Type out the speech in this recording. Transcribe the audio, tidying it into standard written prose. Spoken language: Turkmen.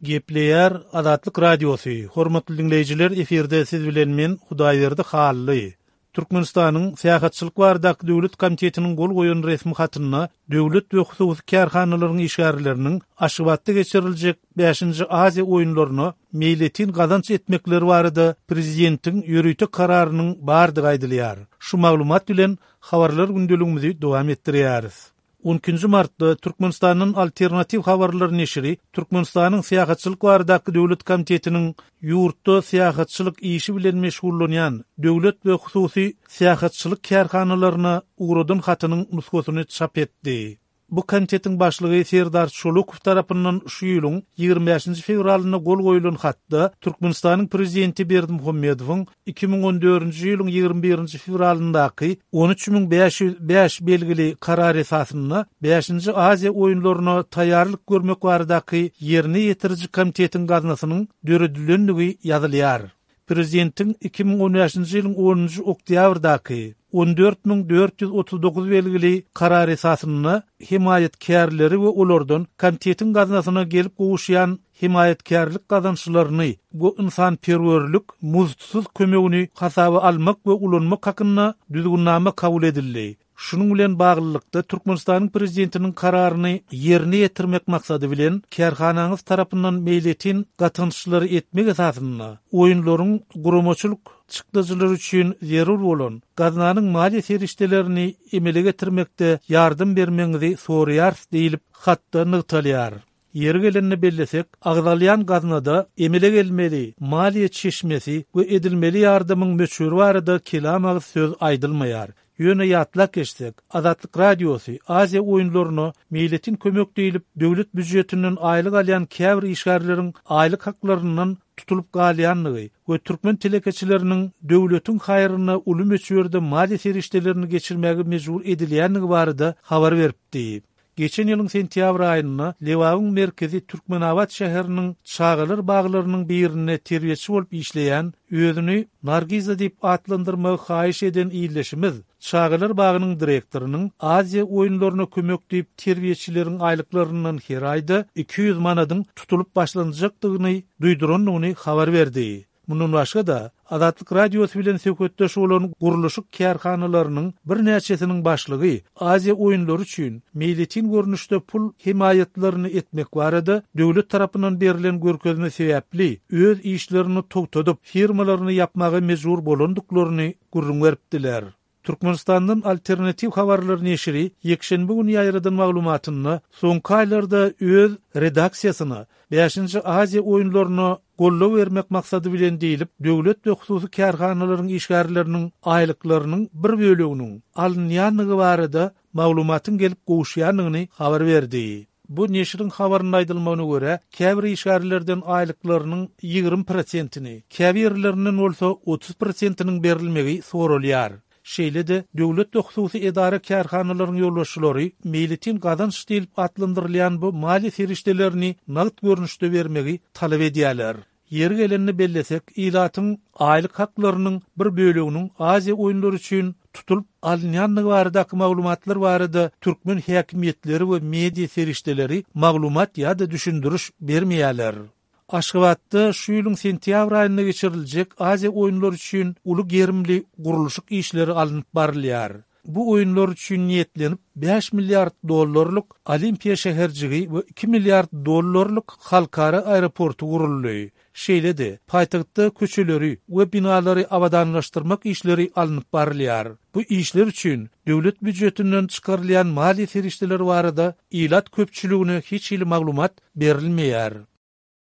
Gepleýär Azatlyk Radiosy, Hormatly diňleýjiler efirde siz bilen men Hudaýberdi Hally. Türkmenistanyň Syýahatçylyk baradaky döwlet komitetiniň gol goýan resmi hatynda döwlet we hususy kärhanalaryň işgärleriniň Aşgabatda geçiriljek Bäşinji Aziýa oýunlaryna meýletin gazanç etmekleri barada prezidentiň ýörite kararynyň bardygy aýdylýar. Şu maglumat bilen Habarlar gündeligimizi dowam etdirýäris. On ikinji martda Türkmenistandan Alternatiw habarlar neşiri Türkmenistanyň Syýahatçylyk baradaky döwlet komitetiniň ýurtda syýahatçylyk işi bilen meşgullanýan döwlet we hususy syýahatçylyk kärhanalaryna ugradan hatynyň nusgasyny çap etdi. Bu komitetiň başlygy Serdar Çolukow tarapyndan şu ýylyň 25-nji fewralynda gol goýlan hatda Türkmenistanyň Prezidenti Berdimuhamedowyň 2014-nji ýylyň 21-nji fewralyndaky 13505 belgili Karar esasynda Bäşinji Aziýa oýunlaryna taýýarlyk görmek baradaky Ýerine ýetiriji komitetiň gaznasynyň döredilendigi ýazylýar. Prezidentiň 2015-nji ýylyň onunjy oktýabrdaky 14439 belgili Karar esasynda hemaýatkärleri we olardan komitetiň gaznasyna gelip gowuşýan hemaýatkärlik gazançlaryny we ynsanperwerlik muzdsuz kömegini hasaba almak we ulanmak hakynda Düzgünnama kabul edildi. Şunuň bilen baglylykda, Türkmenistanyň Prezidentiniň Kararyny ýerine ýetirmek maksady bilen, kärhanaňyz tarapyndan meýletin gatançlary etmek esasynda, oýunlaryň guramaçylyk çykdajylary üçin zerur bolan gaznanyň maliýe serişdelerini emele getirmekde ýardam bermegiňizi soraýarys diýlip, hatda nygtalýar. Ýeri gelende bellesek, agzalýan gaznada emele gelmeli maliýe çeşmesi we edilmeli ýardamyň möçberi barada kelam agyz söz aýdylmaýar. Ýöne ýatlap geçsek, Azatlyk Radiosy Aziýa oýunlaryna meýletin kömek diýlip döwlet býujetinden aýlyk alýan käbir işgärleriň aýlyk haklaryndan tutulyp galýandygy we türkmen telekeçileriniň döwletiň haýryna uly möçberde maliýe serişdelerini geçirmäge mejbur edilýändigi barada habar beripdi. Geçen ýylyň sentýabr aýynda Lebabyň merkezi Türkmenabat şäheriniň çagalar baglarynyň birinde terbiýeçi bolup işleýän, özüni Nargiza diýip atlandyrmagy haýyş eden ildeşimiz çagalar bagynyň direktorynyň Aziýa oýunlaryna kömek diýip terbiýeçileriň aýlyklaryndan her aýda 200 manadyň tutulyp başlanjakdygyny duýdurandygyny habar berdi. Mundan başga-da, Azatlyk Radiosy bilen söhbetdeş bolan gurluşyk kärhanalarynyň birnäçesiniň başlygy Aziýa oýunlary üçin meýletin görnüşde pul hemaýatlaryny etmek barada döwlet tarapyndan berlen görkezme sebäpli öz işlerini togtadyp, firmalaryny ýapmaga mejbur bolandyklaryny gürrüň beripdiler. Türkmenistandan Alternatiw habarlar neşiri ýekşenbe güni ýaýradan maglumatynda soňky aýlarda öz redaksiýasyna Bäşinji Aziýa oýunlaryna goldaw bermek maksady bilen diýlip, döwlet we hususy kärhanalaryň işgärleriniň aýlyklarynyň bir böleginiň alynýandygy barada maglumatyň gelip gowuşýandygyny habar berdi. Bu neşiriň habarynda aýdylmagyna görä, käbir işgärlerden aýlyklarynyň 20 prosentini, käbirlerinden bolsa 30 prosentiniň berilmegi soralýar. Şeýle-de, döwlet we hususy edara-kärhanalaryň ýolbaşçylary meýletin gazanç diýlip atlandyrylýan bu maliýe serişdelerini nagt görnüşde bermegi talap edýärler. Ýeri gelende bellesek, ilatyň aýlyk haklarynyň bir böleginiň Aziýa oýunlary üçin tutulyp alynýandygy baradaky maglumatlar barada türkmen häkimiýetleri we media serişdeleri maglumat ýa-da düşündiriş bermeýärler. Aşgabatda şu ýylyň sentýabr aýynda geçiriljek Aziýa oýunlary üçin uly gerimli gurluşyk işleri alnyp barylýar. Bu oýunlar üçin niýetlenip bäş milliard dollarlyk Olimpiýa şäherjigi we iki milliard dollarlyk halkara aeroporty guruldy. Şeýle-de, paýtagtda köçeleri we binalary abadanlaşdyrmak işleri alnyp barylýar. Bu işler üçin döwlet býujetinden çykarylýan maliýe serişdeleri barada ilat köpçüligine hiç hili maglumat berilmeýär.